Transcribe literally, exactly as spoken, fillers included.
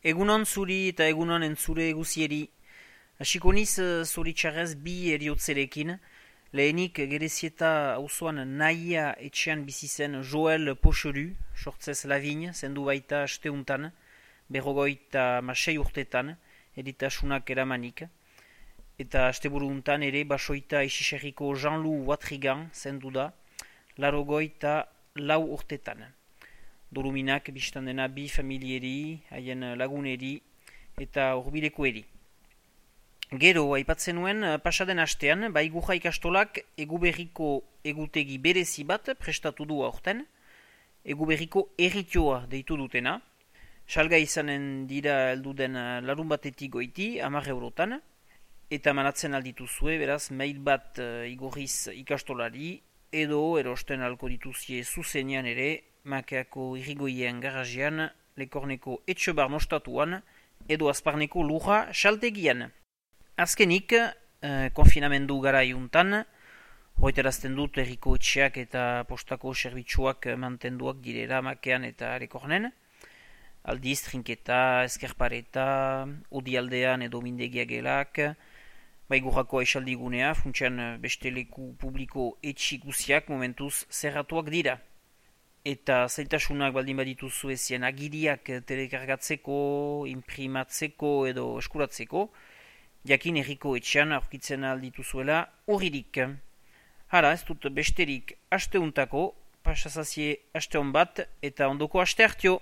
Egunon zuri eta egunon entzure guzieri. Hasiko niz zoritxarrez bi eriotzerekin. Lehenik Gerezieta auzoan nahia etxean bizi zen Joel Pochelu, sortzez Lavigne, zendu baita asteuntan, berrogoita masei urtetan, eritasunak eramanik. Eta asteburu untan ere basoita isiserriko Jean-Loup Watrigan zendu da, larogoita lau urtetan. Doluminak biztan dena bi familieri, haien laguneri eta urbilekoeri. Gero, aipatzen nuen, pasaden astean, Baigurra ikastolak Eguberriko egutegi berezi bat prestatu du aurten, Eguberriko erritioa deitu dutena. Salga izanen dira helduden larun batetik goiti, hamar eurotan, eta manatzen aldituzue, beraz, mail bat igorriz ikastolari, edo erosten alko dituzie zuzenean ere, Makeako irrigoien garajean, Lekorneko etxebar mostatuan, edo Azparneko lurra saltegian. Azkenik, eh, konfinamendu gara iuntan, hoiterazten dut herriko etxeak eta postako serbitzuak mantenduak direra Makean eta Lekornen. Aldiz, trinketa, eskerpareta, odialdean edo mindegia gelak, Baigurrako esaldigunea, funtsean beste leku publiko etxi guziak momentuz zerratuak dira. Eta zailtasunak baldin badituzu ezien agiriak telekargatzeko, imprimatzeko edo eskuratzeko, jakin herriko etxean aurkitzen aldituzuela urririk. Hara, ez dut besterik asteuntako, pasazazie asteon bat eta ondoko aste hartio.